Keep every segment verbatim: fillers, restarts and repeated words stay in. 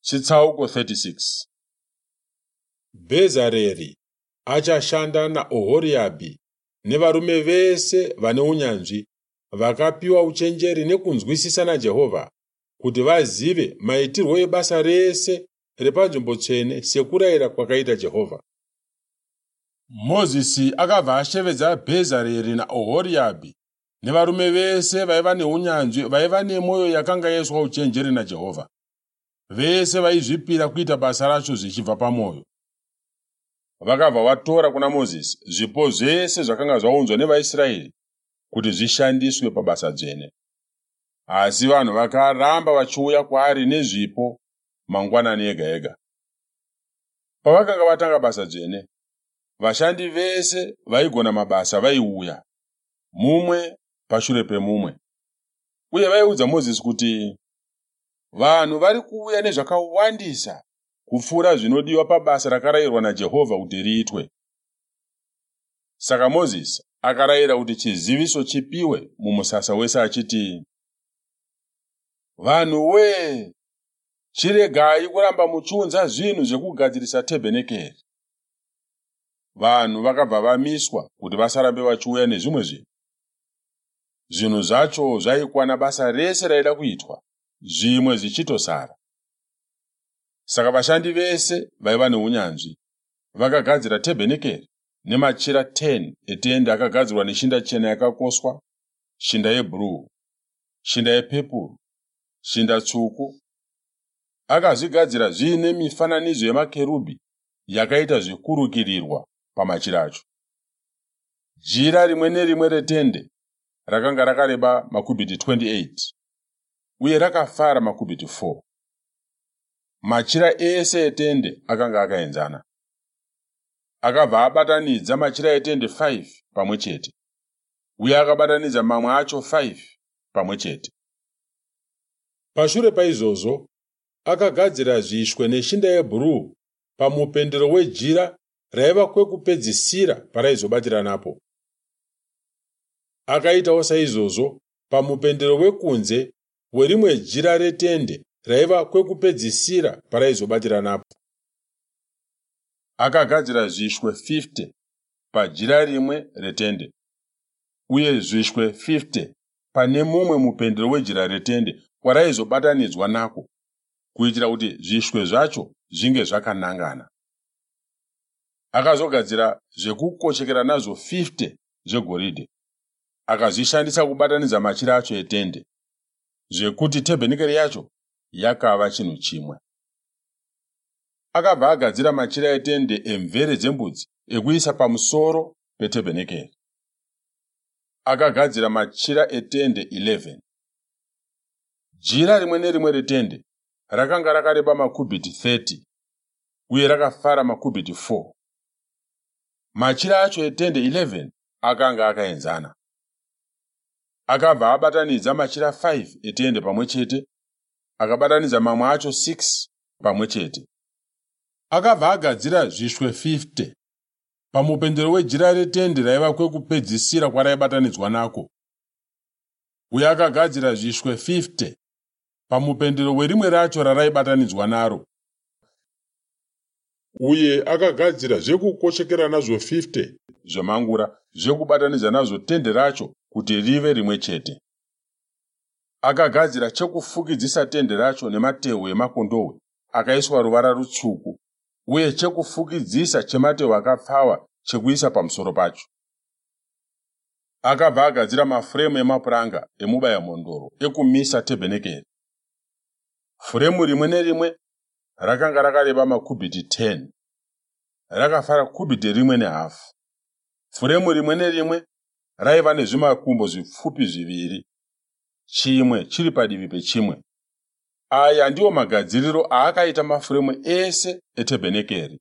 Chitsauko thirty six. Bhezareri achashanda naOhoriyabhi nevarume vese vane unyanzvi vakapiwa uchenjeri nekunzwisisa naJehovha kuti vazive maitirwo ebasa rese repanzvimbo tsvene sekurayira kwakaita Jehovha. Mozisi akabva ashevedza Bhezareri naOhoriyabhi nevarume vese vaiva neunyanzvi vaiva nemwoyo yakanga yaiswa uchenjeri naJehovha, vese vaizvipira kuita basa racho zvichibva pamwoyo. Vakabva vatora kuna Mozisi zvipo zvese zvakanga zvaunzwa nevaIsraeri kuti zvishandiswe pabasa dzvene. Asi vanhu vakaramba vachiuya kwaari nezvipo mangwanani ega ega. Pavakanga vatanga basa dzvene, vashandi vese vaigona mabasa vaiuya, mumwe pashure pemumwe, uye vaiudza Mozisi kuti, Vanhu vari kuuya nezvakawandisa kupfuura zvinodiwa pabasa rakarayirwa naJehovha kuti riitwe. Saka Mozisi akarayira kuti chiziviso chipiwe mumusasa wese achiti, Vanhu wee, chiregai kuramba muchiunza zvinhu zvekugadzirisa tebhenekeri. Vanhu vakabva vamiswa kuti vasarambe vachiuya nezvimwe zvinhu. Zvinhu zvacho zvaikwana basa rese raida kuitwa, zvimwe zvichitosara. Saka vashandi vese vaiva neunyanzvi vakagadzira tebhenekeri nemachira ten etende akagadzirwa neshinda chena yakakoswa, shinda yebhuruu, shinda yepepuru, shinda tsvuku. Akazvigadzira zviine mifananidzo yemakerubhi yakaita zvekurukirirwa pamachira acho. Jira rimwe nerimwe retende rakanga rakareba makubhiti twenty eight uye rakafara makubhiti four. Machira ese etende akanga akaenzana. Akabva abatanidza machira etende five pamwe chete uye akabatanidza mamwe acho five pamwe chete. Pashure paizvozvo akagadzira zvishwe neshinda yebhuruu pamupendero wejira raiva kwekupedzisira paraizobatira napo. Akaitawo saizvozvo pamupendero wekunze werimwe jira retende raiva kwekupedzisira paraizobatira napo. Akagadzira zvishwe fifty pajira rimwe retende uye zvishwe fifty pane mumwe mupendero wejira retende kwaraizobatanidzwa nako, kuitira kuti zvishwe zvacho zvinge zvakanangana. Akazogadzira zvekukochekera nazvo fifty zvegoridhe, akazvishandisa kubatanidza machira acho etende, zvekuti tebhenekeri yacho yakava chinhu chimwe. Akabva agadzira machira etende emvere dzembudzi ekuisa pamusoro petebhenekeri. Akagadzira machira etende eleven. Jira rimwe nerimwe retende rakanga rakareba makubhiti thirty uye rakafara makubhiti four. Machira acho etende eleven akanga akaenzana. Akabva abatanidza machira five etende pamwe chete, akabatanidza mamwe acho six pamwe chete. Akabva agadzira zvishwe fifty pamupendero wejira retende raiva kwekupedzisira kwaraibatanidzwa nako, uye akagadzira zvishwe fifty pamupendero werimwe racho raraibatanidzwa naro, uye akagadzira zvekukochekera nazvo fifty zvemangura zvekubatanidza nazvo tende racho kuti rive rimwe chete. Akagadzira chekufukidzisa tende racho nematehwe emakondohwe akaiswa ruvara rutsvuku uye chekufukidzisa chematehwe akapfawa chekuisa pamusoro pacho. Akabva agadzira mafuremu emapuranga emubayamhondoro ekumisa tebhenekeri. Furemu rimwe nerimwe rakanga rakareba makubhiti ten, rakafara kubhiti rimwe nehafu. Furemu rimwe nerimwe raiva nezvimakumbo zvipfupi zviviri, chimwe chiri padivi pechimwe. Aya ndiwo magadziriro aakaita mafuremu ese etebhenekeri.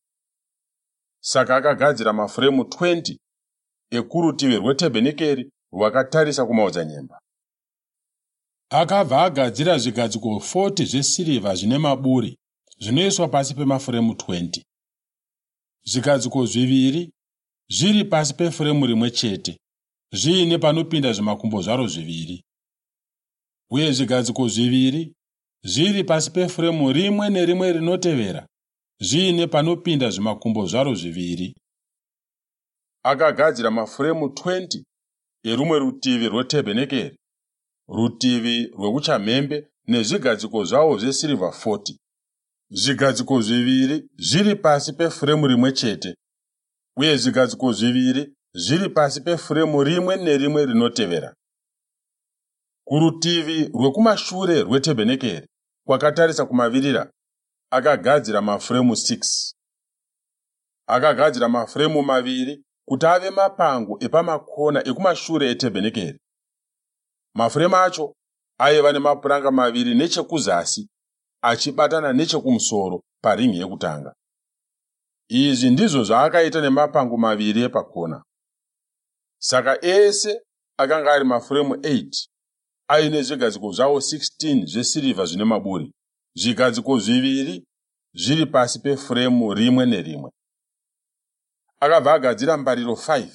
Saka akagadzira mafuremu twenty ekurutivi rwetebhenekeri rwakatarisa kumaodzanyemba. Akabva agadzira zvigadziko forty zvesirivha zvine maburi zvinoiswa pasi pemafuremu twenty. Zvigadziko zviviri zviri pasi pefuremu rimwe chete, zviine panopinda zvimakumbo zvaro zviviri, uye zvigadziko zviviri zviri pasi pefuremu rimwe nerimwe rinotevera, zviine panopinda zvimakumbo zvaro zviviri. Akagadzira mafuremu makumi maviri erumwe rutivi rwetebhenekeri, rutivi rwekuchamhembe, nezvigadziko zvawo zvesirivha makumi mana, zvigadziko zviviri zviri pasi pefuremu rimwe chete uye zvigadziko zviviri zviri pasi pefuremu rimwe nerimwe rinotevera. Kurutivi rwekumashure rwetebhenekeri, kwakatarisa kumavirira, akagadzira mafuremu mashanu. Akagadzira mafuremu maviri kuti ave mapango epamakona ekumashure etebhenekeri. Mafuremu acho aiva nemapuranga maviri nechekuzasi achibatana nechekumusoro paringi yekutanga. Izvi ndizvo zvaakaita nemapango maviri epakona. Saka ese akanga ari mafuremu mashanu aine zvigadziko zvawo gumi neshanu zvesirivha zvine maburi, zvigadziko zviviri zviri pasi pefuremu rimwe nerimwe. Akabva agadzira mbariro shanu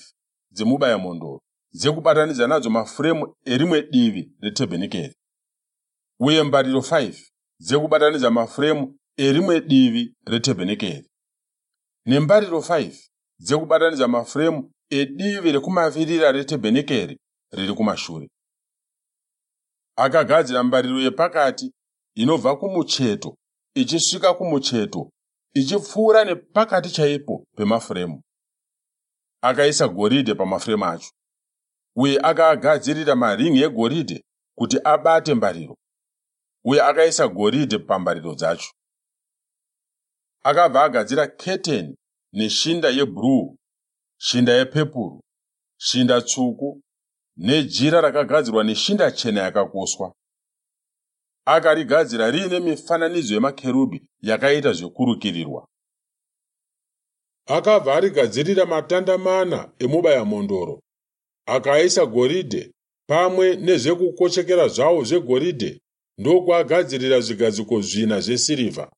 dzemubayamhondoro dzekubatanidza nadzo mafuremu erimwe divi retebhenekeri, uye mbariro shanu dzekubatanidza mafuremu erimwe divi retebhenekeri, nembariro shanu dzekubatanidza mafuremu edivi rekumavirira retebhenekeri riri kumashure. Akagadzira mbariro yepakati inobva kumucheto ichisvika kumucheto, ichipfuura nepakati chaipo pemafuremu. Akaisa goridhe pamafuremu acho uye akaagadzirira maringi egoridhe kuti abate mbariro, uye akaisa goridhe pambariro dzacho. Akabva agadzira keteni neshinda yebhuruu, shinda yepepuru, shinda tsvuku nejira rakagadzirwa neshinda chena yakakoswa. Akarigadzira riine mifananidzo yemakerubhi yakaita zvekurukirirwa. Akabva arigadzirira matanda mana emubayamhondoro, akaisa goridhe pamwe nezvekukochekera zvawo zvegoridhe, ndokuagadzirira zvigadziko zvina zvesirivha.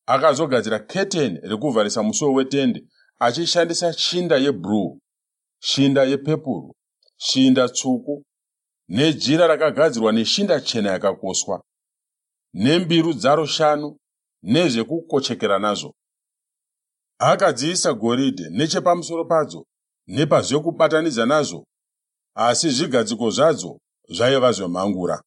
Akazogadzira keteni rekuvharisa musuo wetende achishandisa shinda yebhuruu, shinda yepepuru, shinda tsvuku nejira rakagadzirwa neshinda chena yakakoswa, nembiru dzaro shanu nezvekukochekera nazvo. Akadziisa goridhe nechepamusoro padzo nepazvekubatanidza nazvo, asi zvigadziko zvadzo zvaiva zvemhangura.